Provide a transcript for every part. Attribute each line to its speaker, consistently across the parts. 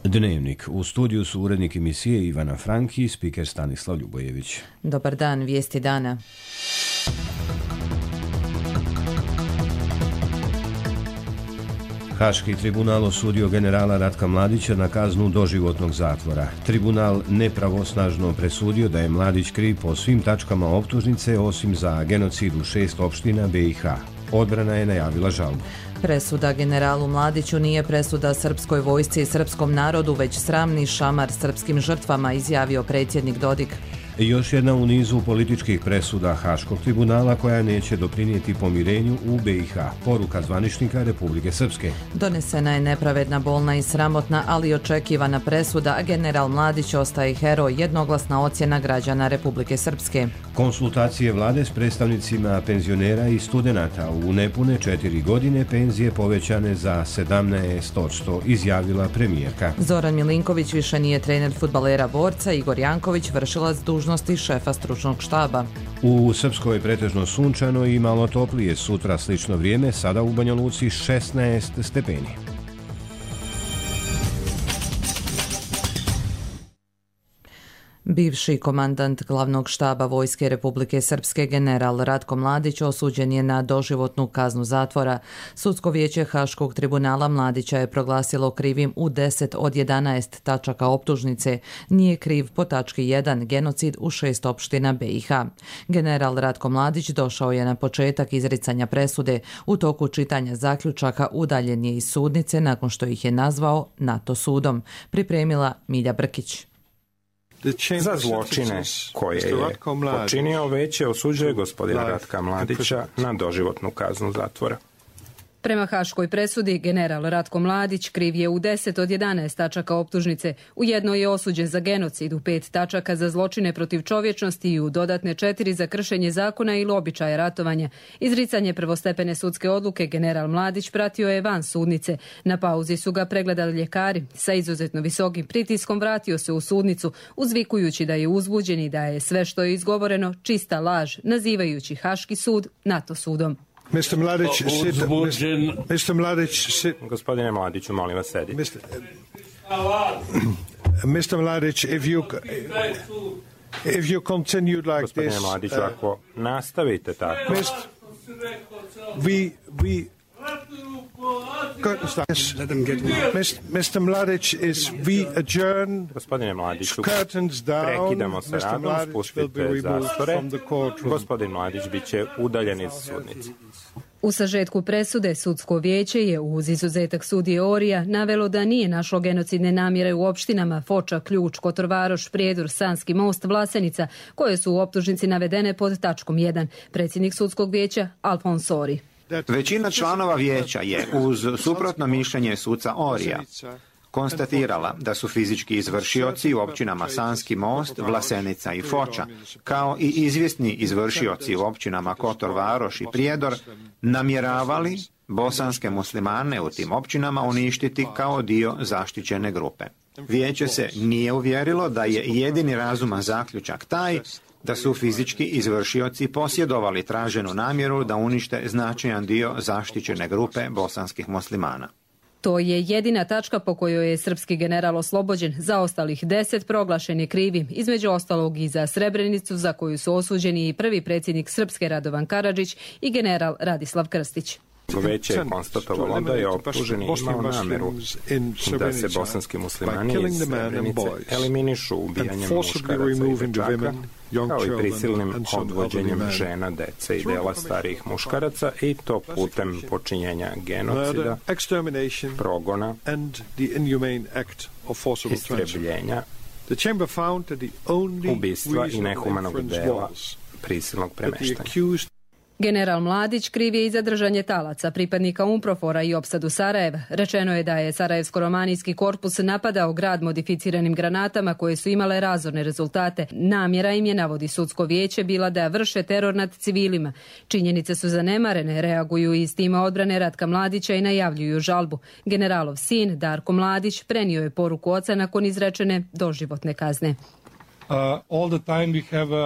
Speaker 1: Dnevnik. U studiju su urednik emisije Ivana Franki i spiker Stanislav Ljubojević.
Speaker 2: Dobar dan, vijesti dana.
Speaker 1: Haški tribunal osudio generala Ratka Mladića na kaznu doživotnog zatvora. Tribunal nepravosnažno presudio da je Mladić kriv po svim tačkama optužnice osim za genocid u 6 opština BiH. Odbrana je najavila žalbu.
Speaker 2: Presuda generalu Mladiću nije presuda srpskoj vojsci i srpskom narodu, već sramni šamar srpskim žrtvama, izjavio predsjednik Dodik.
Speaker 1: Još jedna u nizu političkih presuda Haškog tribunala koja neće doprinijeti pomirenju u BiH. Poruka zvaničnika Republike Srpske.
Speaker 2: Donesena je nepravedna, bolna i sramotna, ali očekivana presuda, a general Mladić ostaje heroj, jednoglasna ocjena građana Republike Srpske.
Speaker 1: Konsultacije vlade s predstavnicima penzionera i studenata. U nepune 4 godine penzije povećane za 17%, izjavila premijerka.
Speaker 2: Zoran Milinković više nije trener fudbalera Borca, Igor Janković vršilac dužnosti šefa stručnog štaba.
Speaker 1: U Srpskoj pretežno sunčano i malo toplije, sutra slično vrijeme, sada u Banja Luci 16 stepeni.
Speaker 2: Bivši komandant glavnog štaba Vojske Republike Srpske general Ratko Mladić osuđen je na doživotnu kaznu zatvora. Sudsko vijeće Haškog tribunala Mladića je proglasilo krivim u 10 od 11 tačaka optužnice. Nije kriv po tački 1 genocid u 6 opština BiH. General Ratko Mladić došao je na početak izricanja presude. U toku čitanja zaključaka udaljen je iz sudnice nakon što ih je nazvao NATO sudom. Pripremila Milja Brkić.
Speaker 3: Za zločine koje je počinio vijeće osuđuje gospodina Ratka Mladića na doživotnu kaznu zatvora.
Speaker 4: Prema haškoj presudi, general Ratko Mladić kriv je u 10 od 11 tačaka optužnice. U jednoj je osuđen za genocid, u 5 tačaka za zločine protiv čovječnosti i u dodatne 4 za kršenje zakona ili običaja ratovanja. Izricanje prvostepene sudske odluke general Mladić pratio je van sudnice. Na pauzi su ga pregledali ljekari. Sa izuzetno visokim pritiskom vratio se u sudnicu, uzvikujući da je uzbuđen i da je sve što je izgovoreno čista laž, nazivajući Haški sud NATO sudom.
Speaker 5: Mr. Mladić, sit.
Speaker 3: Gospodine Mladiću, molim vas, sedite.
Speaker 5: Mr. Mladić, if you continued like
Speaker 3: Gospodine
Speaker 5: this...
Speaker 3: Mladiću, ako nastavite tako...
Speaker 5: Mr. Mladić, we adjourn.
Speaker 3: Gospodine Mladiću,
Speaker 5: Curtains down.
Speaker 3: prekidamo se radom, spustite zastore. Gospodin Mladić bit će udaljen iz sudnice.
Speaker 4: U sažetku presude Sudsko vijeće je uz izuzetak sudije Orija navelo da nije našlo genocidne namjere u opštinama Foča, Ključ, Kotorvaroš, Prijedor, Sanski Most, Vlasenica, koje su u optužnici navedene pod tačkom 1. Predsjednik Sudskog vijeća Alfons Ori.
Speaker 6: Većina članova vijeća je, uz suprotno mišljenje suca Orija, konstatirala da su fizički izvršioci u općinama Sanski Most, Vlasenica i Foča, kao i izvjesni izvršioci u općinama Kotor Varoš i Prijedor, namjeravali bosanske muslimane u tim općinama uništiti kao dio zaštićene grupe. Vijeće se nije uvjerilo da je jedini razuman zaključak taj da su fizički izvršioci posjedovali traženu namjeru da unište značajan dio zaštićene grupe bosanskih muslimana.
Speaker 4: To je jedina tačka po kojoj je srpski general oslobođen. Za ostalih 10 proglašen je krivim, između ostalog i za Srebrenicu, za koju su osuđeni i prvi predsjednik Srpske Radovan Karadžić i general Radislav Krstić.
Speaker 3: Vijeće je konstatovalo da je optuženi imao namjeru da se bosanski muslimani iz Srebrenice eliminišu ubijanjem muškaraca i dečaka, kao i prisilnim odvođenjem žena, dece i dela starijih muškaraca, i to putem počinjenja genocida, progona, istrebljenja, ubistva i nehumanog dela prisilnog premještanja.
Speaker 4: General Mladić kriv je i za držanje talaca, pripadnika UNPROFOR-a i opsadu Sarajeva. Rečeno je da je Sarajevsko-romanijski korpus napadao grad modificiranim granatama koje su imale razorne rezultate. Namjera im je, navodi Sudsko vijeće, bila da vrše teror nad civilima. Činjenice su zanemarene, reaguju iz tima odbrane Ratka Mladića i najavljuju žalbu. Generalov sin, Darko Mladić, prenio je poruku oca nakon izrečene doživotne kazne.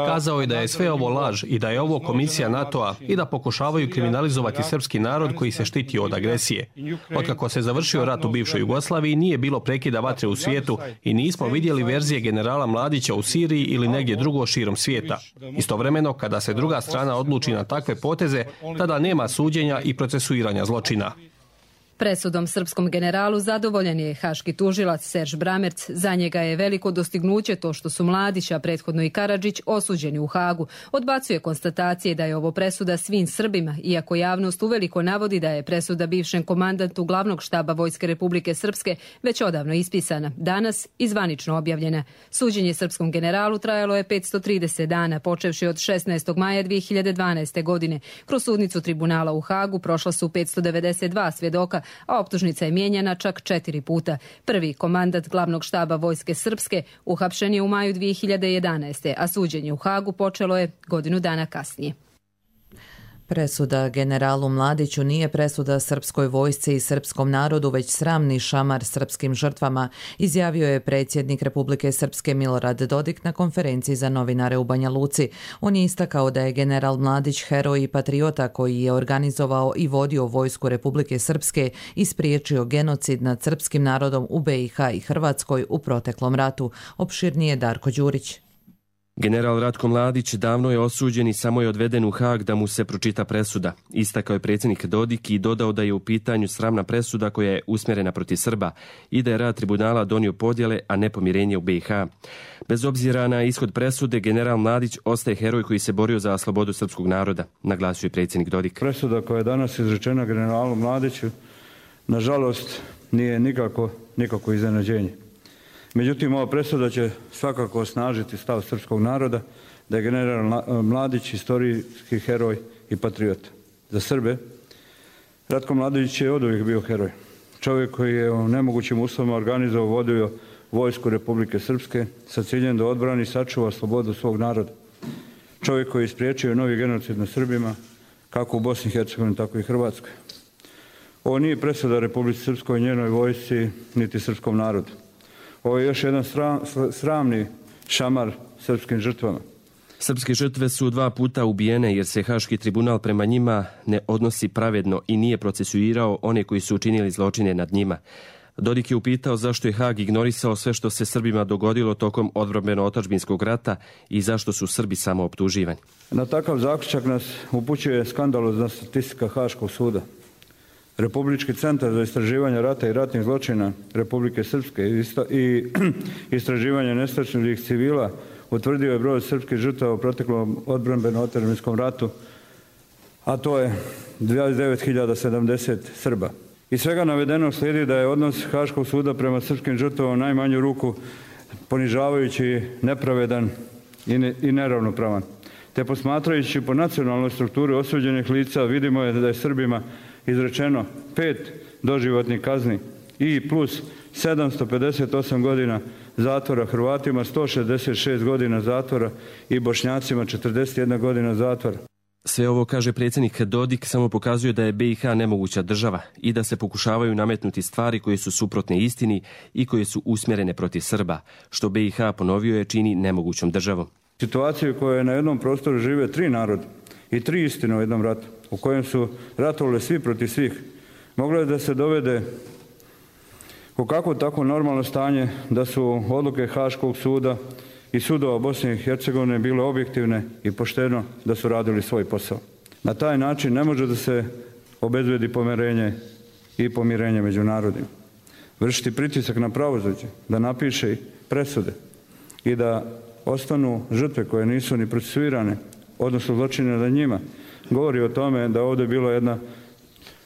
Speaker 7: Kazao je da je sve ovo laž i da je ovo komisija NATO-a i da pokušavaju kriminalizovati srpski narod koji se štiti od agresije. Otkako se završio rat u bivšoj Jugoslaviji, nije bilo prekida vatre u svijetu i nismo vidjeli verzije generala Mladića u Siriji ili negdje drugo širom svijeta. Istovremeno, kada se druga strana odluči na takve poteze, tada nema suđenja i procesuiranja zločina.
Speaker 4: Presudom srpskom generalu zadovoljan je haški tužilac Serž Bramerc. Za njega je veliko dostignuće to što su Mladić, a prethodno i Karadžić, osuđeni u Hagu. Odbacuje konstatacije da je ovo presuda svim Srbima, iako javnost uveliko navodi da je presuda bivšem komandantu glavnog štaba Vojske Republike Srpske već odavno ispisana, danas i zvanično objavljena. Suđenje srpskom generalu trajalo je 530 dana, počevši od 16. maja 2012. godine. Kroz sudnicu tribunala u Hagu prošla su 592 svjedoka, a optužnica je mijenjana čak 4 puta. Prvi komandant glavnog štaba Vojske Srpske uhapšen je u maju 2011. a suđenje u Hagu počelo je godinu dana kasnije.
Speaker 2: Presuda generalu Mladiću nije presuda srpskoj vojsci i srpskom narodu, već sramni šamar srpskim žrtvama, izjavio je predsjednik Republike Srpske Milorad Dodik na konferenciji za novinare u Banja Luci. On je istakao da je general Mladić heroj i patriota koji je organizovao i vodio vojsku Republike Srpske i spriječio genocid nad srpskim narodom u BiH i Hrvatskoj u proteklom ratu. Opširnije Darko Đurić.
Speaker 8: General Ratko Mladić davno je osuđen i samo je odveden u Hag da mu se pročita presuda. Istakao je predsjednik Dodik i dodao da je u pitanju sramna presuda koja je usmjerena protiv Srba i da je rad tribunala donio podjele, a ne pomirenje u BiH. Bez obzira na ishod presude, general Mladić ostaje heroj koji se borio za slobodu srpskog naroda, naglasio je predsjednik Dodik.
Speaker 9: Presuda koja je danas izrečena generalu Mladiću, nažalost, nije nikako iznenađenje. Međutim, ova presuda će svakako osnažiti stav srpskog naroda da je general Mladić historijski heroj i patriot. Za Srbe, Ratko Mladić je oduvijek bio heroj. Čovjek koji je u nemogućim uslovima organizovao, vodio vojsku Republike Srpske sa ciljem da odbrani i sačuva slobodu svog naroda. Čovjek koji je spriječio novi genocid nad Srbima, kako u Bosni i Hercegovini, tako i Hrvatskoj. Ovo nije presuda Republici Srpskoj, njenoj vojsci, niti srpskom narodu. Ovo je još jedan sramni šamar srpskim žrtvama.
Speaker 8: Srpske žrtve su 2 puta ubijene jer se Haški tribunal prema njima ne odnosi pravedno i nije procesuirao one koji su učinili zločine nad njima. Dodik je upitao zašto je Hag ignorisao sve što se Srbima dogodilo tokom odbrambeno-otadžbinskog rata i zašto su Srbi samo optuživani.
Speaker 9: Na takav zaključak nas upućuje skandalozna statistika Haškog suda. Republički centar za istraživanje rata i ratnih zločina Republike Srpske i istraživanje nestašnih civila utvrdio je broj srpskih žrtava u proteklom odbrambeno-otadžbinskom ratu, a to je 29.070 Srba. Iz svega navedenog slijedi da je odnos Haškog suda prema srpskim žrtvama u najmanju ruku ponižavajući, nepravedan i neravnopravan. Te posmatrajući po nacionalnoj strukturi osuđenih lica vidimo je da je Srbima izrečeno 5 doživotnih kazni i plus 758 godina zatvora, Hrvatima 166 godina zatvora i Bošnjacima 41 godina zatvora.
Speaker 8: Sve ovo, kaže predsjednik Dodik, samo pokazuje da je BiH nemoguća država i da se pokušavaju nametnuti stvari koje su suprotne istini i koje su usmjerene protiv Srba, što BiH, ponovio je, čini nemogućom državom.
Speaker 9: Situaciju u kojoj na jednom prostoru žive 3 naroda i 3 istine u jednom ratu, u kojem su ratovali svi protiv svih, moglo je da se dovede u kakvo tako normalno stanje da su odluke Haškog suda i sudova Bosne i Hercegovine bile objektivne i pošteno da su radili svoj posao. Na taj način ne može da se obezbedi pomirenje i pomirenje među narodima. Vršiti pritisak na pravosuđe da napiše presude i da ostanu žrtve koje nisu ni procesuirane, odnosno zločine nad njima, govori o tome da ovdje je bila jedna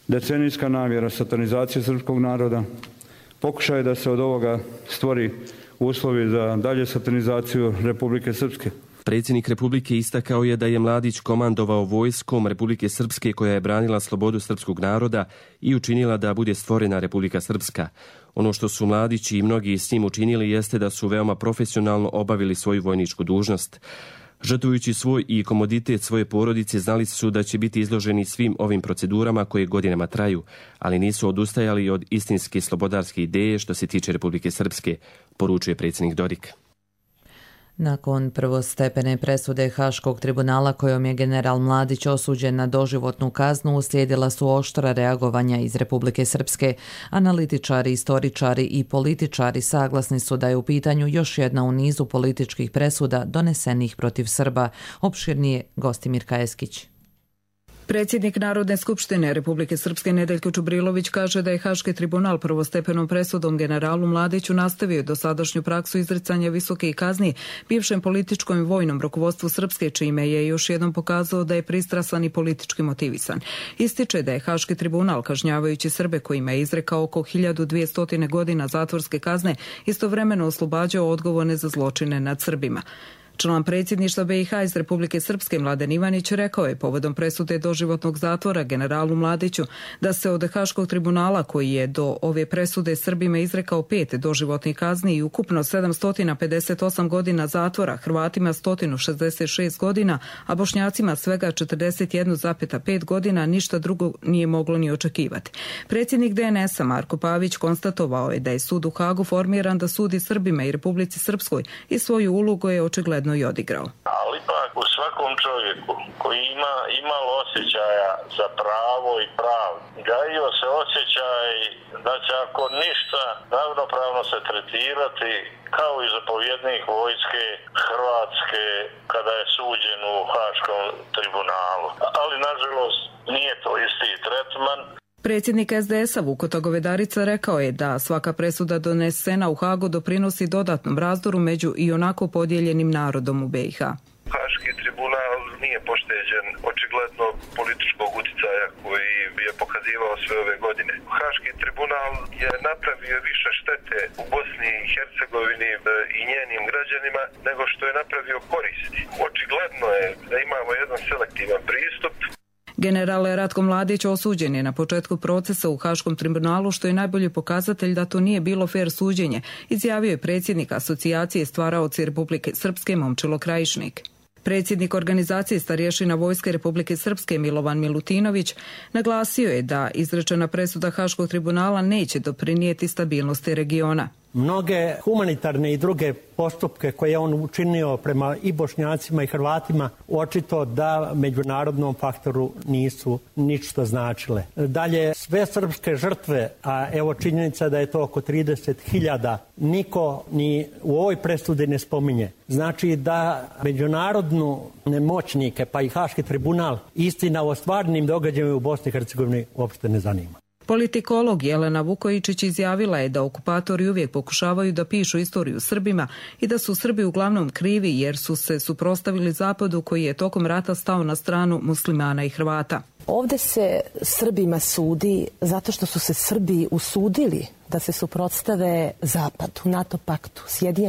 Speaker 9: decenijska namjera satanizacije srpskog naroda, pokušaj da se od ovoga stvori uslovi za dalje satanizaciju Republike Srpske.
Speaker 8: Predsjednik Republike istakao je da je Mladić komandovao vojskom Republike Srpske koja je branila slobodu srpskog naroda i učinila da bude stvorena Republika Srpska. Ono što su Mladić i mnogi s njim učinili jeste da su veoma profesionalno obavili svoju vojničku dužnost. Žrtvujući svoj i komoditet svoje porodice, znali su da će biti izloženi svim ovim procedurama koje godinama traju, ali nisu odustajali od istinske slobodarske ideje što se tiče Republike Srpske, poručuje predsjednik Dodik.
Speaker 2: Nakon prvostepene presude Haškog tribunala kojom je general Mladić osuđen na doživotnu kaznu, uslijedila su oštra reagovanja iz Republike Srpske. Analitičari, istoričari i političari saglasni su da je u pitanju još jedna u nizu političkih presuda donesenih protiv Srba. Opširnije Gostimir Kajeskić.
Speaker 10: Predsjednik Narodne skupštine Republike Srpske Nedeljko Čubrilović kaže da je Haški tribunal prvostepenom presudom generalu Mladiću nastavio dosadašnju praksu izricanja visokih kazni bivšem političkom i vojnom rukovodstvu Srpske, čime je još jednom pokazao da je pristrasan i politički motivisan. Ističe da je Haški tribunal, kažnjavajući Srbe kojima je izrekao oko 1200 godina zatvorske kazne, istovremeno oslobađao odgovorne za zločine nad Srbima. Član predsjedništva BiH iz Republike Srpske Mladen Ivanić rekao je povodom presude doživotnog zatvora generalu Mladiću da se od Haškog tribunala, koji je do ove presude Srbima izrekao 5 doživotnih kazni i ukupno 758 godina zatvora, Hrvatima 166 godina, a Bošnjacima svega 41,5 godina, ništa drugo nije moglo ni očekivati. Predsjednik DNS-a Marko Pavić konstatovao je da je sud u Hagu formiran da sudi Srbima i Republici Srpskoj i svoju ulogu je očigledno i odigrao.
Speaker 11: Ali ipak u svakom čovjeku koji ima imalo osjećaja za pravo i pravdu, gajio se osjećaj da će ako ništa ravnopravno se tretirati kao i zapovjednik vojske Hrvatske kada je suđen u Haškom tribunalu. Ali nažalost nije to isti tretman.
Speaker 10: Predsjednik SDS-a Vukoto Govedarica rekao je da svaka presuda donesena u Hagu doprinosi dodatnom razdoru među i onako podijeljenim narodom u BiH.
Speaker 11: Haški tribunal nije pošteđen očigledno političkog utjecaja koji je pokazivao sve ove godine. Haški tribunal je napravio više štete u Bosni i Hercegovini i njenim građanima nego što je napravio koristi. Očigledno je da imamo jedan selektivan pristup.
Speaker 10: General Ratko Mladić osuđen je na početku procesa u Haškom tribunalu, što je najbolji pokazatelj da to nije bilo fer suđenje, izjavio je predsjednik Asocijacije stvaraoci Republike Srpske Momčilo Krajišnik. Predsjednik organizacije starješina Vojske Republike Srpske Milovan Milutinović naglasio je da izrečena presuda Haškog tribunala neće doprinijeti stabilnosti regiona.
Speaker 12: Mnoge humanitarne i druge postupke koje je on učinio prema i Bošnjacima i Hrvatima očito da međunarodnom faktoru nisu ništa značile. Dalje, sve srpske žrtve, a evo činjenica da je to oko 30.000, niko ni u ovoj presudi ne spominje. Znači da međunarodnu moćnike, pa i Haški tribunal, istina o stvarnim događajima u Bosni i Hercegovini uopšte ne zanima.
Speaker 10: Politikolog Jelena Vukojičić izjavila je da okupatori uvijek pokušavaju da pišu istoriju Srbima i da su Srbi uglavnom krivi jer su se suprotstavili Zapadu koji je tokom rata stao na stranu muslimana i Hrvata.
Speaker 13: Ovdje se Srbima sudi zato što su se Srbi usudili da se suprotstave Zapadu, NATO paktu, SAD-u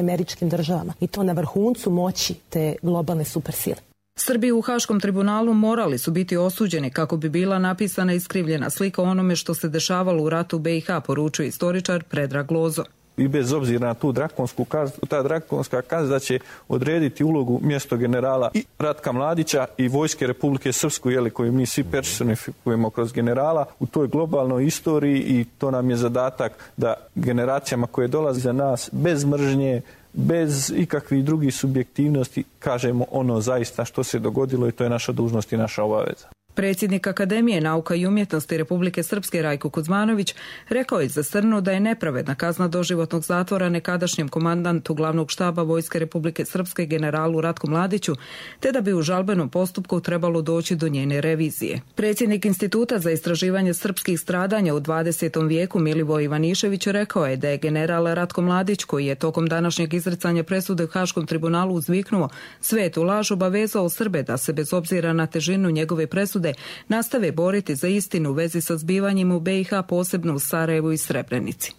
Speaker 13: i to na vrhuncu moći te globalne supersile.
Speaker 10: Srbi u Haškom tribunalu morali su biti osuđeni kako bi bila napisana iskrivljena slika onome što se dešavalo u ratu BiH, poručuje istoričar Predrag Lozo.
Speaker 14: I bez obzira na tu drakonsku kaznu, ta drakonska kazna će odrediti ulogu mjesto generala i Ratka Mladića i Vojske Republike Srpsku, koju mi svi personifikujemo kroz generala u toj globalnoj istoriji, i to nam je zadatak da generacijama koje dolaze za nas bez mržnje, bez ikakvih drugih subjektivnosti kažemo ono zaista što se dogodilo, i to je naša dužnost i naša obaveza.
Speaker 10: Predsjednik Akademije nauka i umjetnosti Republike Srpske Rajko Kuzmanović rekao je za Srnu da je nepravedna kazna doživotnog zatvora nekadašnjem komandantu glavnog štaba Vojske Republike Srpske generalu Ratku Mladiću, te da bi u žalbenom postupku trebalo doći do njene revizije. Predsjednik Instituta za istraživanje srpskih stradanja u 20. vijeku Milivoj Ivanišević rekao je da je general Ratko Mladić, koji je tokom današnjeg izricanja presude u Haškom tribunalu uzviknuo svetu laž, obavezao Srbe da se bez obzira na težinu njegove presude nastave boriti za istinu u vezi sa zbivanjima u BiH, posebno u Sarajevu i Srebrenici.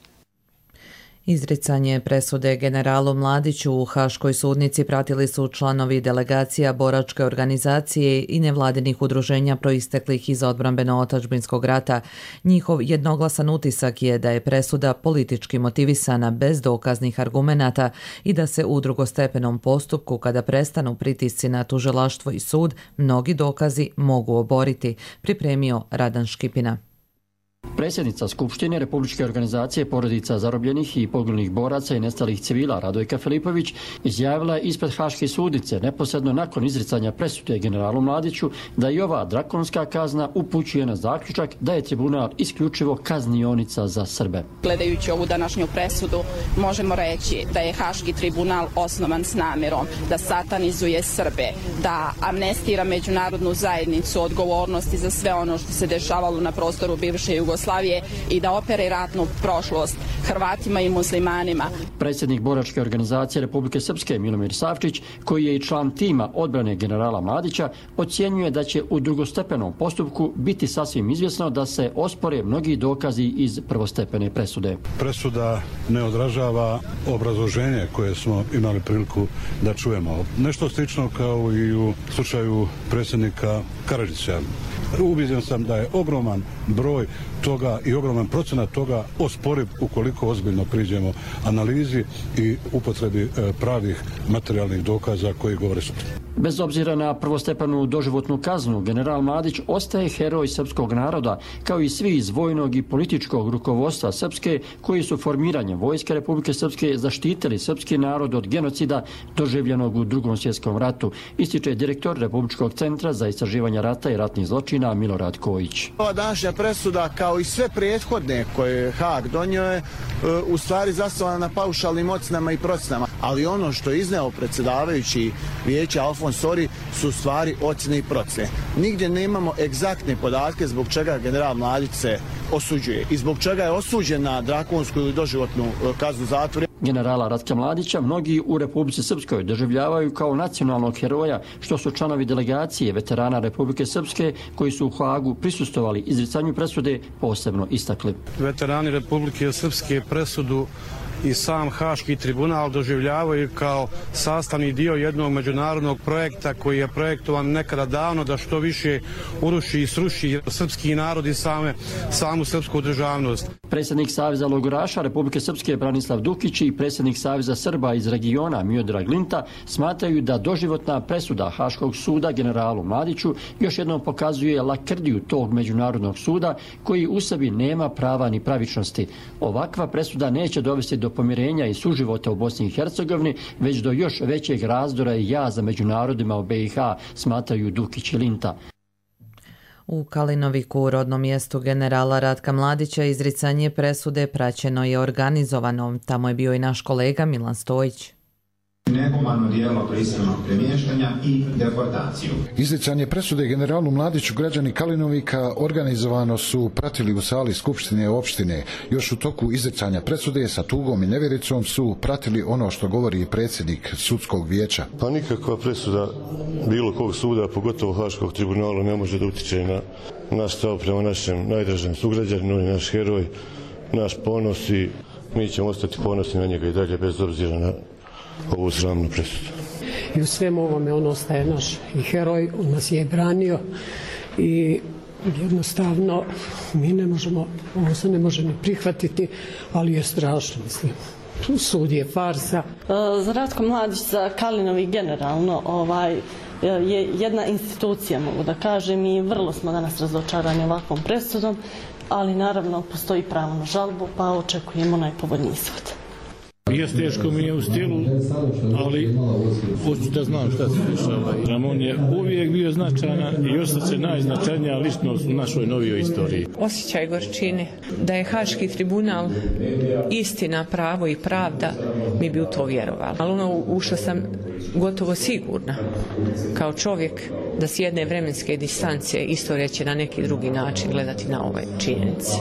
Speaker 2: Izricanje presude generalu Mladiću u Haškoj sudnici pratili su članovi delegacija boračke organizacije i nevladinih udruženja proisteklih iz odbrambeno-otadžbinskog rata. Njihov jednoglasan utisak je da je presuda politički motivisana bez dokaznih argumenata i da se u drugostepenom postupku, kada prestanu pritisci na tužilaštvo i sud, mnogi dokazi mogu oboriti, pripremio Radan Škipina.
Speaker 15: Predsjednica Skupštine Republičke organizacije porodica zarobljenih i poginulih boraca i nestalih civila Radojka Filipović izjavila je ispred Haške sudice neposredno nakon izricanja presude generalu Mladiću da i ova drakonska kazna upućuje na zaključak da je tribunal isključivo kaznionica za Srbe.
Speaker 16: Gledajući ovu današnju presudu možemo reći da je Haški tribunal osnovan s namjerom da satanizuje Srbe, da amnestira međunarodnu zajednicu odgovornosti za sve ono što se dešavalo na prostoru bivše Jugoslavije i da opere ratnu prošlost Hrvatima i muslimanima.
Speaker 15: Predsjednik boračke organizacije Republike Srpske Milomir Savčić, koji je i član tima odbrane generala Mladića, ocjenjuje da će u drugostepenom postupku biti sasvim izvjesno da se ospore mnogi dokazi iz prvostepene presude.
Speaker 17: Presuda ne odražava obrazloženje koje smo imali priliku da čujemo. Nešto slično kao i u slučaju predsjednika Karadžića. Ubiđen sam da je ogroman broj toga i ogroman procenat toga osporiv ukoliko ozbiljno priđemo analizi i upotrebi pravih materijalnih dokaza koji govore suprotno.
Speaker 15: Bez obzira na prvostepenu doživotnu kaznu, general Mladić ostaje heroj srpskog naroda, kao i svi iz vojnog i političkog rukovodstva Srpske, koji su formiranjem Vojske Republike Srpske zaštitili srpski narod od genocida doživljenog u Drugom svjetskom ratu, ističe direktor Republičkog centra za istraživanje rata i ratnih zločina Milorad Kojić.
Speaker 18: Ova današnja presuda, kao i sve prethodne koje je Haag donio, je u stvari zasnovana na paušalnim ocenama i procenama, ali ono što je izneo predsjedavajući vijeća Alfons Sori su stvari ocjene i procene. Nigdje nemamo egzaktne podatke zbog čega general Mladić se osuđuje i zbog čega je osuđen na drakonsku ili doživotnu kaznu zatvora.
Speaker 15: Generala Ratka Mladića mnogi u Republici Srpskoj doživljavaju kao nacionalnog heroja, što su članovi delegacije veterana Republike Srpske koji su u Haagu prisustvovali izricanju presude posebno istakli.
Speaker 19: Veterani Republike Srpske presudu i sam Haški tribunal doživljavaju kao sastavni dio jednog međunarodnog projekta koji je projektovan nekada davno da što više uruši i sruši srpski narod i samu srpsku državnost.
Speaker 15: Predsjednik Saveza logoraša Republike Srpske Branislav Dukić i predsjednik Saveza Srba iz regiona Miodrag Linta smatraju da doživotna presuda Haškog suda generalu Mladiću još jednom pokazuje lakrdiju tog međunarodnog suda koji u sebi nema prava ni pravičnosti. Ovakva presuda neće dovesti do pomirenja i suživota u Bosni i Hercegovini, već do još većeg razdora i jaza među narodima u BiH, smatraju Dukić i Linta.
Speaker 2: U Kalinoviku, rodnom mjestu generala Ratka Mladića, izricanje presude praćeno je organizovano. Tamo je bio i naš kolega Milan Stojić.
Speaker 20: Nehumano djelo prisilnog premještanja i deportaciju.
Speaker 21: Izricanje presude generalu Mladiću građani Kalinovika organizovano su pratili u sali Skupštine opštine. Još u toku izricanja presude sa tugom i nevjericom su pratili ono što govori predsjednik sudskog vijeća.
Speaker 22: Pa nikakva presuda bilo kog suda, pogotovo Haškog tribunala, ne može da utiče na naš stav prema našem najdražem sugrađaninu, on je naš heroj, naš ponos i mi ćemo ostati ponosni na njega i dalje bez obzira na ovu sramnu presudu.
Speaker 23: I u svemu ovome on ostaje naš i heroj, on nas je branio i jednostavno mi ne možemo, ovo se ne može ni prihvatiti, ali je strašno, mislim. Sud je farsa.
Speaker 24: Za Ratko Mladić, za Kalinovik generalno je jedna institucija, mogu da kažem, i vrlo smo danas razočarani ovakvom presudom, ali naravno postoji pravo na žalbu, pa očekujemo najpovoljniji ishod.
Speaker 25: Jest teško mi je u stilu, ali hoću da znam šta se dešava. Ramon je uvijek bio značajan i ostaće najznačajnija ličnost u našoj novijoj istoriji.
Speaker 26: Osjećaj gorčine da je Haški tribunal istina, pravo i pravda, mi bi u to vjerovali. Ali ušla sam gotovo sigurna kao čovjek da s jedne vremenske distance istorija će na neki drugi način gledati na ove činjenice.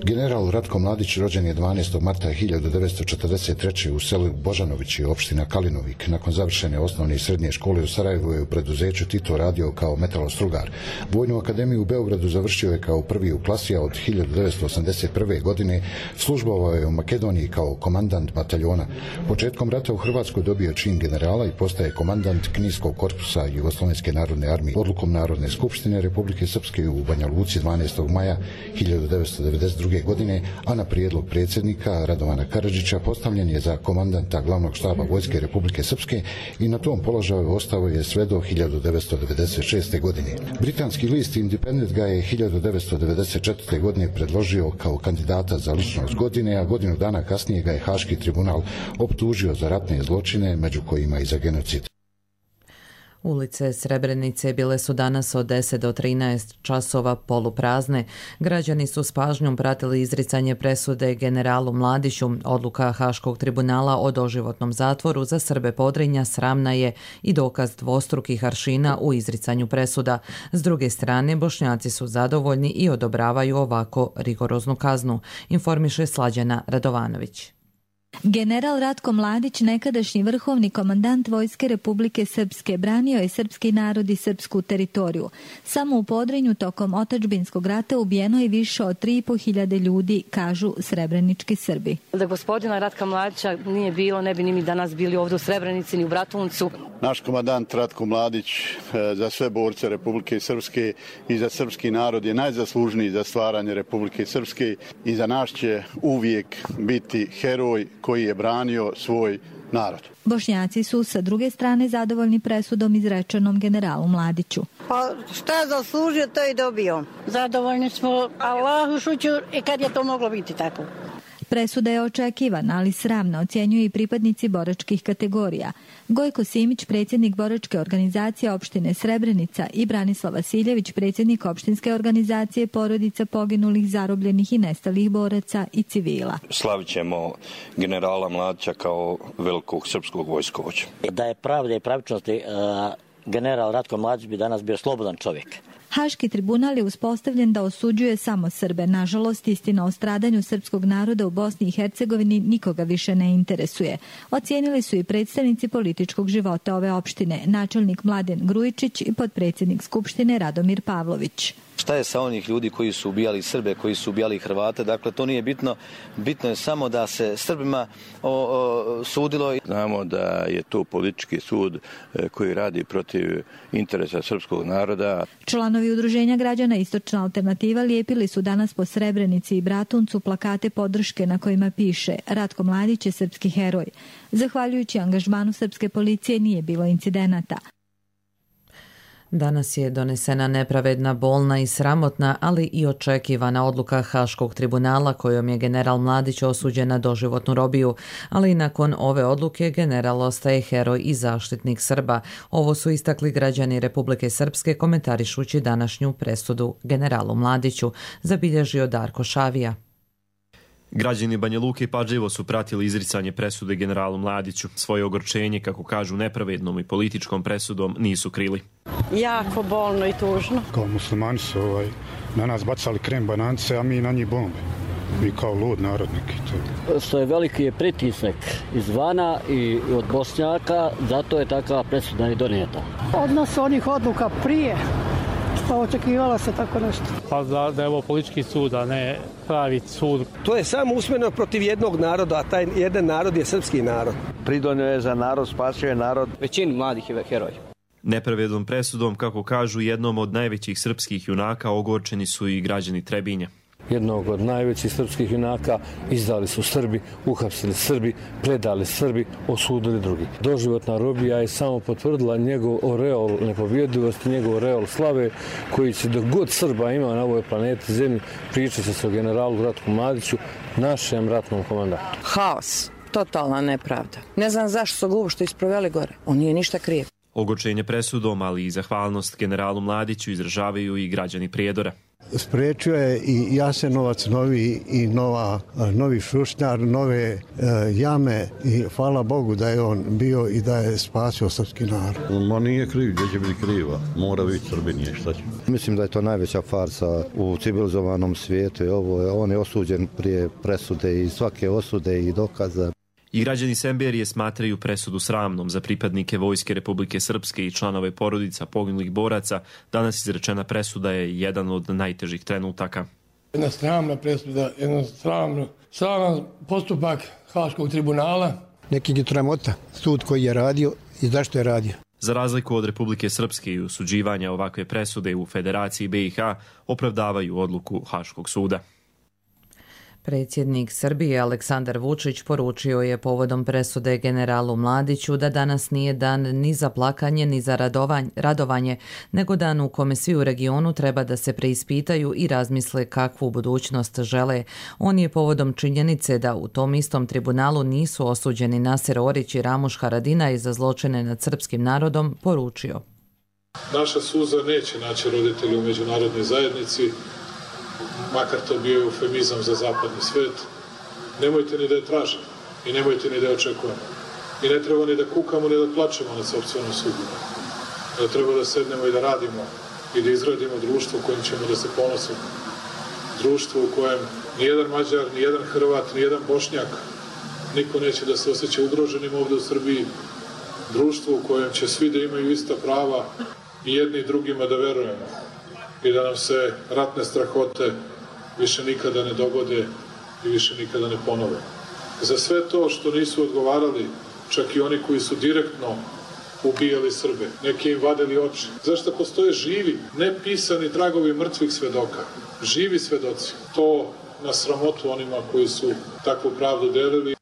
Speaker 21: General Ratko Mladić rođen je 12. marta 1943. u selu Božanovići, opština Kalinovik. Nakon završene osnovne i srednje škole u Sarajevu je u preduzeću Tito radio kao metalostrugar. Vojnu akademiju u Beogradu završio je kao prvi u klasi, a od 1981. godine službovao je u Makedoniji kao komandant bataljona. Početkom rata u Hrvatskoj dobio čin generala i postaje komandant Knijskog korpusa Jugoslovenske narodne armije. Odlukom Narodne skupštine Republike Srpske u Banja Luci 12. maja 1992. 2002. godine, a na prijedlog predsjednika Radovana Karadžića postavljen je za komandanta glavnog štaba Vojske Republike Srpske i na tom položaju ostao je sve do 1996. godine. Britanski list Independent ga je 1994. godine predložio kao kandidata za ličnost godine, a godinu dana kasnije ga je Haški tribunal optužio za ratne zločine, među kojima i za genocid.
Speaker 2: Ulice Srebrenice bile su danas od 10 do 13 časova poluprazne. Građani su s pažnjom pratili izricanje presude generalu Mladiću. Odluka Haškog tribunala o doživotnom zatvoru za Srbe Podrinja sramna je i dokaz dvostrukih aršina u izricanju presuda. S druge strane, Bošnjaci su zadovoljni i odobravaju ovako rigoroznu kaznu, informiše Slađana Radovanović.
Speaker 1: General Ratko Mladić, nekadašnji vrhovni komandant Vojske Republike Srpske, branio je srpski narod i srpsku teritoriju. Samo u Podrinju tokom otadžbinskog rata ubijeno je više od 3.500 ljudi, kažu srebrenički Srbi.
Speaker 3: Da gospodina Ratka Mladića nije bilo, ne bi ni mi danas bili ovdje u Srebrenici ni u Bratuncu.
Speaker 4: Naš komandant Ratko Mladić za sve borce Republike Srpske i za srpski narod je najzaslužniji za stvaranje Republike Srpske i za nas će uvijek biti heroj koji je branio svoj narod.
Speaker 1: Bošnjaci su sa druge strane zadovoljni presudom izrečenom generalu Mladiću.
Speaker 5: Pa šta je zaslužio, to i dobio.
Speaker 3: Zadovoljni smo, Allahu šućur, i kad je to moglo biti tako.
Speaker 1: Presuda je očekivana, ali sramna, ocjenjuju i pripadnici boračkih kategorija. Gojko Simić, predsjednik boračke organizacije opštine Srebrenica, i Branislav Vasiljević, predsjednik opštinske organizacije porodica poginulih, zarobljenih i nestalih boraca i civila.
Speaker 6: Slavit ćemo generala Mladića kao velikog srpskog vojskovođa.
Speaker 7: Da je pravda i pravičnosti, general Ratko Mladić bi danas bio slobodan čovjek.
Speaker 1: Haški tribunal je uspostavljen da osuđuje samo Srbe. Nažalost, istina o stradanju srpskog naroda u Bosni i Hercegovini nikoga više ne interesuje. Ocijenili su i predstavnici političkog života ove opštine, načelnik Mladen Grujičić i potpredsjednik Skupštine Radomir Pavlović.
Speaker 27: Šta je sa onih ljudi koji su ubijali Srbe, koji su ubijali Hrvate? Dakle, to nije bitno. Bitno je samo da se Srbima sudilo.
Speaker 6: Znamo da je to politički sud koji radi protiv interesa srpskog naroda.
Speaker 1: Članovi Udruženja građana Istočna alternativa lijepili su danas po Srebrenici i Bratuncu plakate podrške na kojima piše Ratko Mladić je srpski heroj. Zahvaljujući angažmanu srpske policije nije bilo incidenata.
Speaker 2: Danas je donesena nepravedna, bolna i sramotna, ali i očekivana odluka Haškog tribunala kojom je general Mladić osuđen na doživotnu robiju, ali nakon ove odluke general ostaje heroj i zaštitnik Srba. Ovo su istakli građani Republike Srpske komentarišući današnju presudu generalu Mladiću, zabilježio Darko Šavija.
Speaker 28: Građani Banja Luke pažljivo su pratili izricanje presude generalu Mladiću. Svoje ogorčenje, kako kažu, nepravednom i političkom presudom nisu krili.
Speaker 3: Jako bolno i tužno.
Speaker 17: Kao muslimani su na nas bacali krem bananice, a mi na njih bombe. Mi kao lud narodnik.
Speaker 7: Što je veliki je pritisak izvana i od Bošnjaka, zato je takva presuda i donijeta.
Speaker 3: Odnos onih odluka prije, pa očekivala se tako nešto.
Speaker 29: Pa da je ovo politički sud, a ne pravi sud.
Speaker 30: To je samo usmjereno protiv jednog naroda, a taj jedan narod je srpski narod.
Speaker 31: Pridonio je za narod, spasio je narod.
Speaker 29: Većini mladih je heroj.
Speaker 28: Nepravednom presudom, kako kažu, jednom od najvećih srpskih junaka ogorčeni su i građani Trebinja.
Speaker 7: Jednog od najvećih srpskih junaka izdali su Srbi, uhapsili Srbi, predali Srbi, osudili drugi. Doživotna robija je samo potvrdila njegov oreol nepobjedivosti, njegov oreol slave, koji će dok god Srba ima na ovoj planeti Zemlji pričati se o generalu Ratku Mladiću, našem ratnom komandantu.
Speaker 5: Haos, totalna nepravda. Ne znam zašto su glupo što isproveli gore. On nije ništa kriv.
Speaker 28: Ogorčenje presudom, ali i zahvalnost generalu Mladiću izražavaju i građani Prijedora.
Speaker 32: Spriječio je i Jasenovac novi i novi Šušnjar, nove jame i hvala Bogu da je on bio i da je spasio srpski narod.
Speaker 22: Ma nije kriv, gdje će biti kriva, mora biti Srbinije, šta će.
Speaker 33: Mislim da je to najveća farsa u civilizovanom svijetu. On je osuđen prije presude i svake osude i dokaza.
Speaker 28: I građani Semberije smatraju presudu sramnom za pripadnike Vojske Republike Srpske i članove porodica poginulih boraca. Danas izrečena presuda je jedan od najtežih trenutaka.
Speaker 29: Jedna sramna presuda, jedan sraman postupak Haškog tribunala.
Speaker 32: Neki je tramota, sud koji je radio i zašto je radio.
Speaker 28: Za razliku od Republike Srpske i osuđivanja ovakve presude u Federaciji BiH opravdavaju odluku Haškog suda.
Speaker 2: Predsjednik Srbije Aleksandar Vučić poručio je povodom presude generalu Mladiću da danas nije dan ni za plakanje ni za radovanje, nego dan u kome svi u regionu treba da se preispitaju i razmisle kakvu budućnost žele. On je povodom činjenice da u tom istom tribunalu nisu osuđeni Naser Orić i Ramuš Haradinaj za zločine nad srpskim narodom poručio.
Speaker 8: Naša suza neće naći roditelji u međunarodnoj zajednici, makar to bio eufemizam za zapadni svet. Nemojte ni da je tražimo i nemojte ni da je očekujemo. I ne treba ni da kukamo ni da plačemo nad sopstvenom sudbinom. Da treba da sednemo i da radimo i da izgradimo društvo kojim ćemo da se ponosimo. Društvo u kojem nijedan Mađar, nijedan Hrvat, nijedan Bošnjak, niko neće da se osjeća ugroženim ovde u Srbiji. Društvo u kojem će svi da imaju ista prava i jedni i drugima da verujemo. I da nam se ratne strahote više nikada ne dogode i više nikada ne ponove. Za sve to što nisu odgovarali, čak i oni koji su direktno ubijali Srbe, neki im vadili oči. Zašto postoje živi, nepisani tragovi mrtvih svedoka, živi svedoci. To na sramotu onima koji su takvu pravdu delili.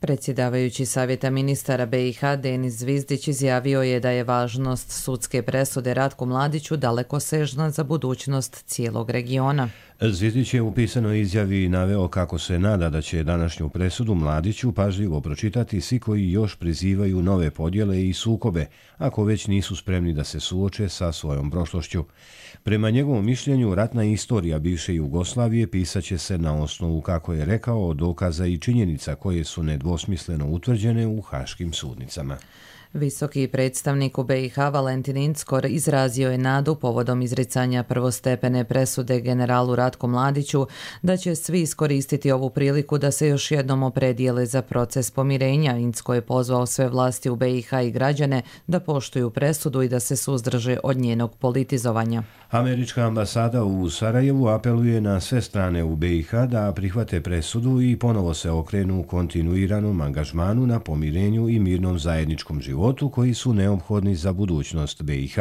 Speaker 2: Predsjedavajući Savjeta ministara BiH Denis Zvizdić izjavio je da je važnost sudske presude Ratku Mladiću dalekosežna za budućnost cijelog regiona.
Speaker 9: Zvizdić je u pisanoj izjavi naveo kako se nada da će današnju presudu Mladiću pažljivo pročitati svi koji još prizivaju nove podjele i sukobe, ako već nisu spremni da se suoče sa svojom prošlošću. Prema njegovom mišljenju, ratna istorija bivše Jugoslavije pisaće se na osnovu, kako je rekao, dokaza i činjenica koje su nedvosmisleno utvrđene u haškim sudnicama.
Speaker 2: Visoki predstavnik u BiH Valentin Inckor izrazio je nadu povodom izricanja prvostepene presude generalu Ratku Mladiću da će svi iskoristiti ovu priliku da se još jednom opredijele za proces pomirenja. Incko je pozvao sve vlasti u BiH i građane da poštuju presudu i da se suzdrže od njenog politizovanja.
Speaker 9: Američka ambasada u Sarajevu apeluje na sve strane u BiH da prihvate presudu i ponovo se okrenu kontinuiranom angažmanu na pomirenju i mirnom zajedničkom životu koji su neophodni za budućnost BiH.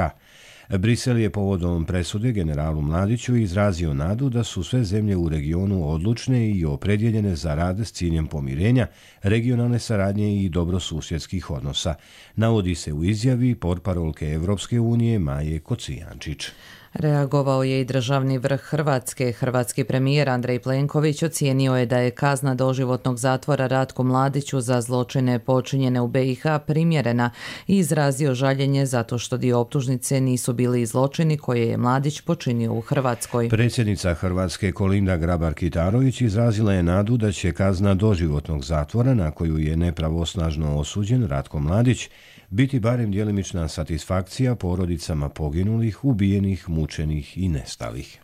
Speaker 9: Brisel je povodom presude generalu Mladiću izrazio nadu da su sve zemlje u regionu odlučne i opredjeljene za rad s ciljem pomirenja, regionalne saradnje i dobrosusjedskih odnosa, navodi se u izjavi portparolke Evropske unije Maje Kocijančić.
Speaker 2: Reagovao je i državni vrh Hrvatske. Hrvatski premijer Andrej Plenković ocijenio je da je kazna doživotnog zatvora Ratku Mladiću za zločine počinjene u BiH primjerena i izrazio žaljenje zato što dio optužnice nisu bili zločini koje je Mladić počinio u Hrvatskoj.
Speaker 9: Predsjednica Hrvatske Kolinda Grabar-Kitarović izrazila je nadu da će kazna doživotnog zatvora, na koju je nepravosnažno osuđen Ratko Mladić, biti barem djelimična satisfakcija porodicama poginulih, ubijenih, mučenih i nestalih.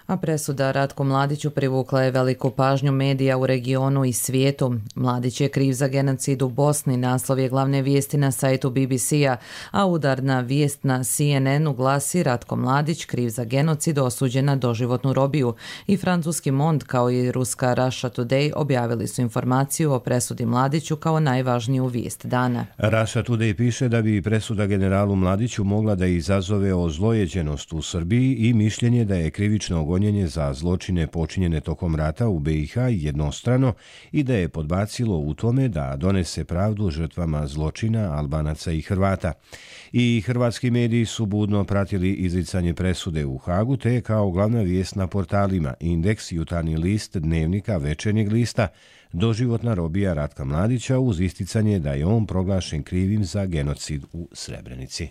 Speaker 2: A presuda Ratku Mladiću privukla je veliku pažnju medija u regionu i svijetu. Mladić je kriv za genocid u Bosni, naslov je glavne vijesti na sajtu BBC-a, a udarna vijest na CNN-u glasi Ratko Mladić kriv za genocid, osuđen na doživotnu robiju. I francuski Monde kao i ruska Russia Today objavili su informaciju o presudi Mladiću kao najvažniju vijest dana.
Speaker 9: Russia Today piše da bi presuda generalu Mladiću mogla da izazove ozlojeđenost u Srbiji i mišljenje da je krivično gonjenje za zločine počinjene tokom rata u BiH jednostrano i da je podbacilo u tome da donese pravdu žrtvama zločina Albanaca i Hrvata. I hrvatski mediji su budno pratili izricanje presude u Hagu, te kao glavna vijest na portalima Indeks, Jutarnji list, Dnevnika, Večernjeg lista, doživotna robija Ratka Mladića uz isticanje da je on proglašen krivim za genocid u Srebrenici.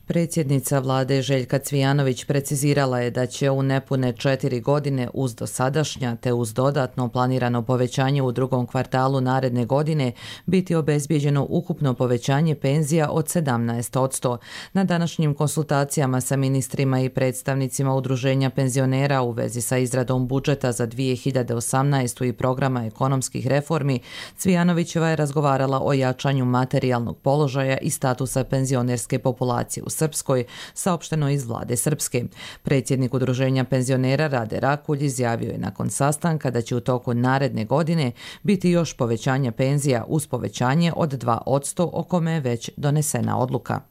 Speaker 2: Predsjednica vlade Željka Cvijanović precizirala je da će u nepune 4 godine uz dosadašnja te uz dodatno planirano povećanje u drugom kvartalu naredne godine biti obezbijeđeno ukupno povećanje penzija od 17%. Na današnjim konsultacijama sa ministrima i predstavnicima udruženja penzionera u vezi sa izradom budžeta za 2018. i programa ekonomskih reformi, Cvijanovićeva je razgovarala o jačanju materijalnog položaja i statusa penzionerske populacije u Srpskoj, saopšteno iz vlade Srpske. Predsjednik udruženja penzionera Rade Rakulj izjavio je nakon sastanka da će u toku naredne godine biti još povećanja penzija uz povećanje od 2%, o kome je već donesena odluka.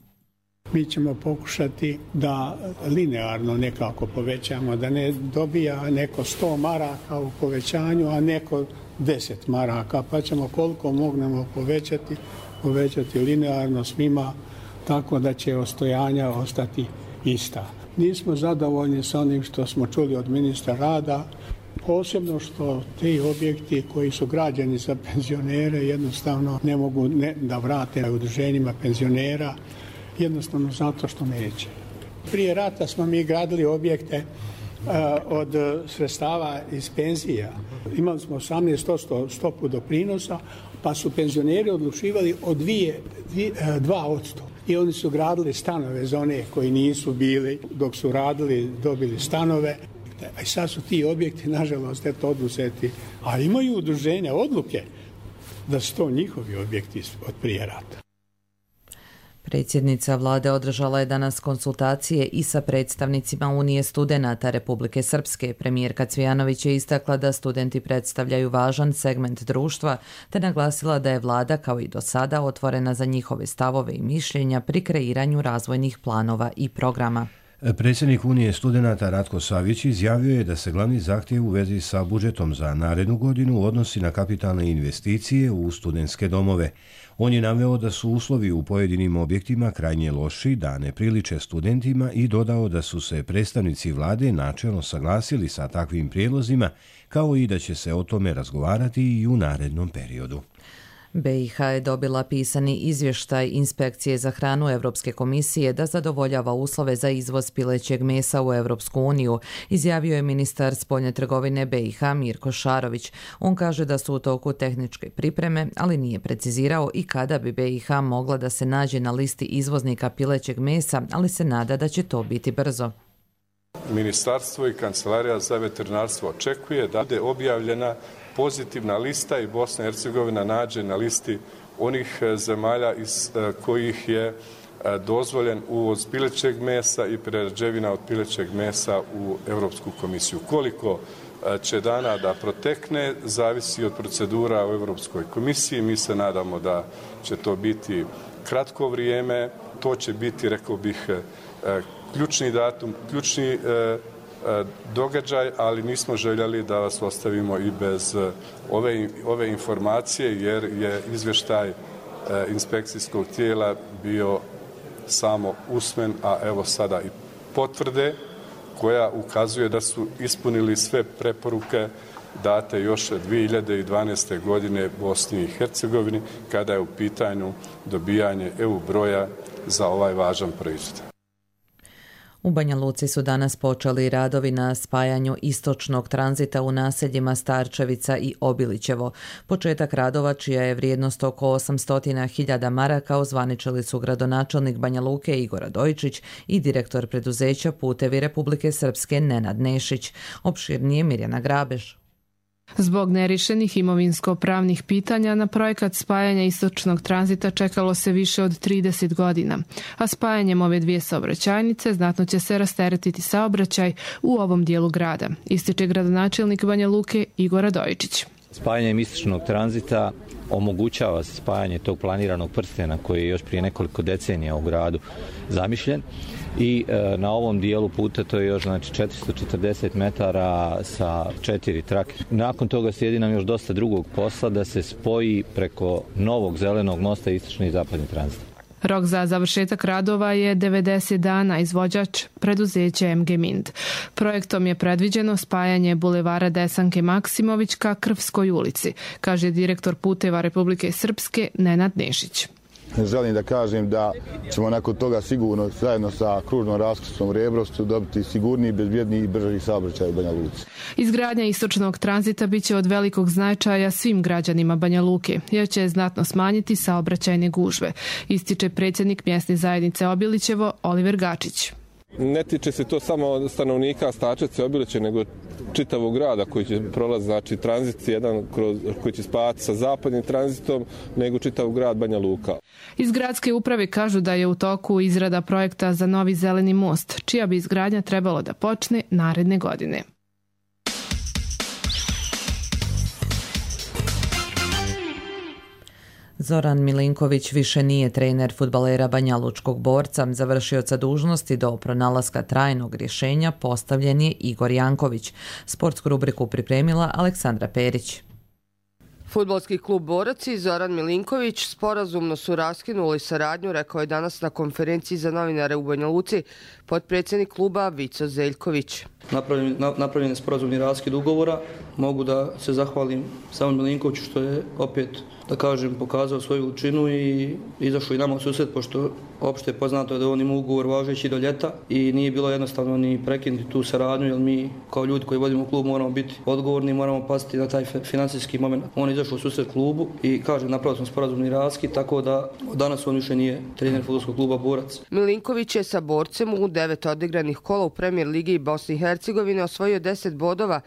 Speaker 10: Mi ćemo pokušati da linearno nekako povećamo, da ne dobija neko 100 maraka u povećanju, a neko 10 maraka, pa ćemo koliko mognemo povećati linearno svima, tako da će ostojanja ostati ista. Nismo zadovoljni sa onim što smo čuli od ministra rada, posebno što ti objekti koji su građeni za penzionere jednostavno ne mogu da vrate udruženjima penzionera, jednostavno zato što neće. Prije rata smo mi gradili objekte od sredstava iz penzija. Imali smo 18% stopu doprinosa, pa su penzioneri odlučivali od 2%. I oni su gradili stanove za one koji nisu bili, dok su radili, dobili stanove. A sad su ti objekti, nažalost, oduzeti. A imaju udruženja odluke da su to njihovi objekti od prije rata.
Speaker 2: Predsjednica vlade održala je danas konsultacije i sa predstavnicima Unije studenata Republike Srpske. Premijerka Cvijanović je istakla da studenti predstavljaju važan segment društva, te naglasila da je vlada kao i do sada otvorena za njihove stavove i mišljenja pri kreiranju razvojnih planova i programa.
Speaker 9: Predsjednik Unije studenata Ratko Savić izjavio je da se glavni zahtjev u vezi sa budžetom za narednu godinu odnosi na kapitalne investicije u studentske domove. On je naveo da su uslovi u pojedinim objektima krajnje loši, da ne priliče studentima i dodao da su se predstavnici vlade načelno saglasili sa takvim prijedlozima, kao i da će se o tome razgovarati i u narednom periodu.
Speaker 2: BiH je dobila pisani izvještaj Inspekcije za hranu Europske komisije da zadovoljava uslove za izvoz pilećeg mesa u Europsku uniju, izjavio je ministar spoljne trgovine BiH Mirko Šarović. On kaže da su u toku tehničke pripreme, ali nije precizirao i kada bi BiH mogla da se nađe na listi izvoznika pilećeg mesa, ali se nada da će to biti brzo.
Speaker 11: Ministarstvo i Kancelarija za veterinarstvo očekuje da bude objavljena pozitivna lista i Bosna i Hercegovina nađe na listi onih zemalja iz kojih je dozvoljen uvoz pilećeg mesa i prerađevina od pilećeg mesa u Europsku komisiju. Koliko će dana da protekne, zavisi od procedura u Europskoj komisiji. Mi se nadamo da će to biti kratko vrijeme. To će biti, rekao bih, ključni datum, ključni događaj, ali nismo željeli da vas ostavimo i bez ove informacije, jer je izvještaj inspekcijskog tijela bio samo usmen, a evo sada i potvrde koja ukazuje da su ispunili sve preporuke date još 2012. godine Bosni i Hercegovini kada je u pitanju dobijanje EU broja za ovaj važan proizvod.
Speaker 2: U Banja Luci su danas počeli radovi na spajanju istočnog tranzita u naseljima Starčevica i Obilićevo. Početak radova, čija je vrijednost oko 800.000 maraka, ozvaničili su gradonačelnik Banja Luke Igor Radojičić i direktor preduzeća Putevi Republike Srpske Nenad Nešić. Opširnije Mirjana Grabež.
Speaker 12: Zbog nerješenih imovinsko-pravnih pitanja na projekat spajanja istočnog tranzita čekalo se više od 30 godina, a spajanjem ove dvije saobraćajnice znatno će se rasteretiti saobraćaj u ovom dijelu grada, ističe gradonačelnik Banja Luke Igor Radojičić.
Speaker 13: Spajanjem istočnog tranzita omogućava se spajanje tog planiranog prstena koji je još prije nekoliko decenija u gradu zamišljen i na ovom dijelu puta to je još 440 metara sa 4 trake. Nakon toga slijedi nam još dosta drugog posla da se spoji preko novog zelenog mosta istočni i zapadni tranzit.
Speaker 12: Rok za završetak radova je 90 dana, izvođač preduzeće MG Mind. Projektom je predviđeno spajanje bulevara Desanke Maksimović ka Krvskoj ulici, kaže direktor Puteva Republike Srpske Nenad Nešić.
Speaker 14: Želim da kažem da ćemo nakon toga sigurno zajedno sa kružnom raskrsnom Rebrovcu dobiti sigurniji, bezbjedniji i brži saobraćaj u Banja Luci.
Speaker 12: Izgradnja istočnog tranzita biće od velikog značaja svim građanima Banja Luke, jer će znatno smanjiti saobraćajne gužve, ističe predsjednik mjesne zajednice Obilićevo Oliver Gačić.
Speaker 15: Ne tiče se to samo stanovnika Starčevca i Obilića, nego čitavog grada koji će prolaziti, znači tranzit jedan koji će spajati sa zapadnim tranzitom, nego čitav grad Banja Luka.
Speaker 12: Iz gradske uprave kažu da je u toku izrada projekta za novi zeleni most, čija bi izgradnja trebalo da počne naredne godine.
Speaker 2: Zoran Milinković više nije trener fudbalera banjalučkog Borca. Završioca dužnosti do pronalaska trajnog rješenja postavljen je Igor Janković. Sportsku rubriku pripremila Aleksandra Perić.
Speaker 1: Fudbalski klub Borac i Zoran Milinković sporazumno su raskinuli saradnju, rekao je danas na konferenciji za novinare u Banja Luci potpredsjednik kluba Vico Zeljković.
Speaker 4: Napravljen je sporazumni raskid ugovora. Mogu da se zahvalim samom Milinkoviću što je opet, da kažem, pokazao svoju veličinu i izašao i nama u susret, pošto opšte je poznato da on ima ugovor važeći do ljeta i nije bilo jednostavno ni prekinuti tu saradnju, jer mi kao ljudi koji vodimo klub moramo biti odgovorni, moramo paziti na taj financijski moment. On je izašao u susret klubu i, kažem, napravili smo sporazumni raskid, tako da danas on više nije trener fudbalskog kluba Borac.
Speaker 1: Milinković je sa Borcem u 9 odigranih kola u Premier ligi Bosne i Hercegovine osvojio 10 bodova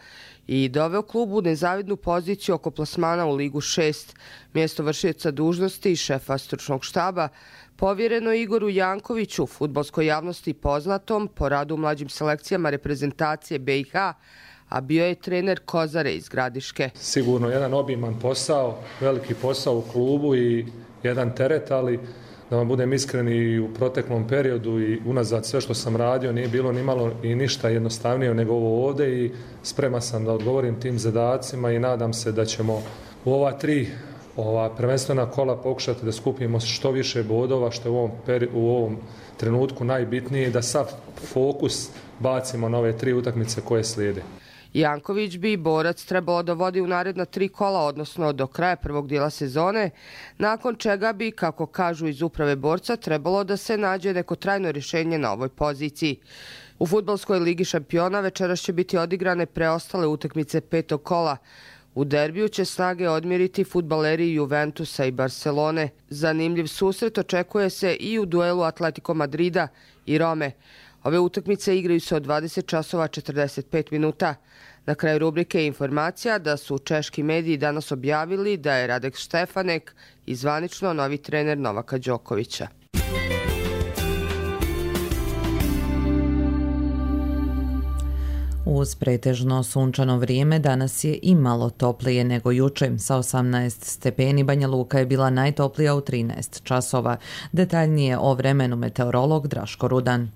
Speaker 1: i doveo klubu u nezavidnu poziciju oko plasmana u Ligu 6. Mjesto vršioca dužnosti i šefa stručnog štaba povjereno Igoru Jankoviću, fudbalskoj javnosti poznatom po radu u mlađim selekcijama reprezentacije BiH, a bio je trener Kozare iz Gradiške.
Speaker 8: Sigurno jedan obiman posao, veliki posao u klubu i jedan teret, ali da vam budem iskren, i u proteklom periodu i unazad sve što sam radio nije bilo ni malo i ništa jednostavnije nego ovo ovdje i spreman sam da odgovorim tim zadacima i nadam se da ćemo u ova 3 prvenstvena kola pokušati da skupimo što više bodova, što je u ovom trenutku najbitnije, da sav fokus bacimo na ove 3 utakmice koje slijede.
Speaker 1: Janković bi Borac trebalo da vodi u naredna 3 kola, odnosno do kraja prvog dijela sezone, nakon čega bi, kako kažu iz uprave Borca, trebalo da se nađe neko trajno rješenje na ovoj poziciji. U fudbalskoj ligi šampiona večeras će biti odigrane preostale utakmice 5. kola. U derbiju će snage odmjeriti fudbaleri Juventusa i Barcelone. Zanimljiv susret očekuje se i u duelu Atletico Madrida i Rome. Ove utakmice igraju se od 20 časova 45 minuta. Na kraju rubrike informacija da su češki mediji danas objavili da je Radek Štefanek i zvanično novi trener Novaka Đokovića.
Speaker 2: Uz pretežno sunčano vrijeme danas je i malo toplije nego juče. Sa 18 stepeni Banja Luka je bila najtoplija u 13 časova. Detaljnije o vremenu meteorolog Draško Rudan.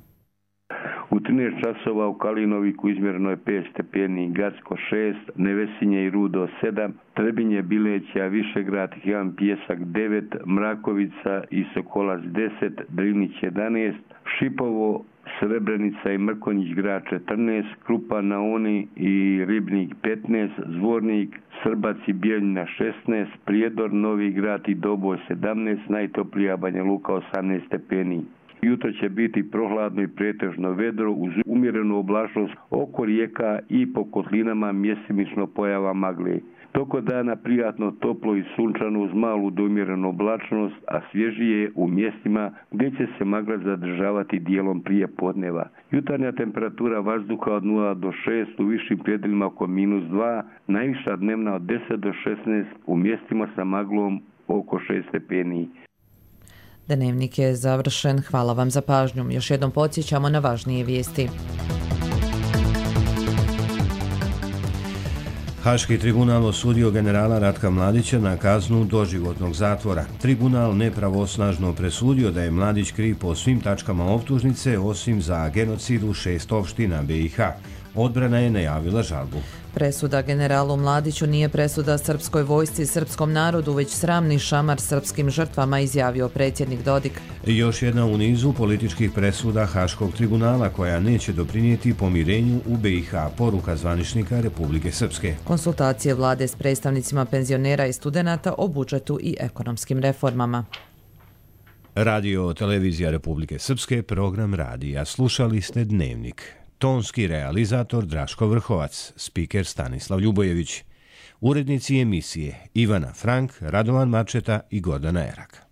Speaker 6: U 13 časova u Kalinoviku izmjereno je 5 stepeni, Gacko 6, Nevesinje i Rudo 7, Trebinje, Bileća, Višegrad, Hijan Pijesak 9, Mrakovica i Sokolac 10, Drinić 11, Šipovo, Srebrenica i Mrkonjić grad 14, Krupa na Oni i Ribnik 15, Zvornik, Srbac i Bijeljina 16, Prijedor, Novi grad i Doboj 17, najtoplija Banja Luka 18 stepeni. Jutro će biti prohladno i pretežno vedro uz umjerenu oblačnost oko rijeka i po kotlinama mjestimično pojava magle. Toko dana prijatno, toplo i sunčano uz malu do umjerenu oblačnost, a svježije u mjestima gdje će se magla zadržavati dijelom prije podneva. Jutarnja temperatura vazduha od 0 do 6, u višim predjelima oko -2, najviša dnevna od 10 do 16, u mjestima sa maglom oko 6 stepeni.
Speaker 2: Dnevnik je završen. Hvala vam za pažnju. Još jednom podsjećamo na važnije vijesti.
Speaker 9: Haški tribunal osudio generala Ratka Mladića na kaznu doživotnog zatvora. Tribunal nepravosnažno presudio da je Mladić kriv po svim tačkama optužnice osim za genocid u 6 opština BiH. Odbrana je najavila žalbu.
Speaker 2: Presuda generalu Mladiću nije presuda srpskoj vojsci i srpskom narodu, već sramni šamar srpskim žrtvama, izjavio predsjednik Dodik.
Speaker 9: Još jedna u nizu političkih presuda Haškog tribunala koja neće doprinijeti pomirenju u BiH, poruka zvaničnika Republike Srpske.
Speaker 2: Konsultacije vlade s predstavnicima penzionera i studenata o budžetu i ekonomskim reformama.
Speaker 9: Radio Televizija Republike Srpske, program radija. Slušali ste Dnevnik. Tonski realizator Draško Vrhovac, spiker Stanislav Ljubojević. Urednici emisije Ivana Frank, Radovan Mačeta i Gordana Erak.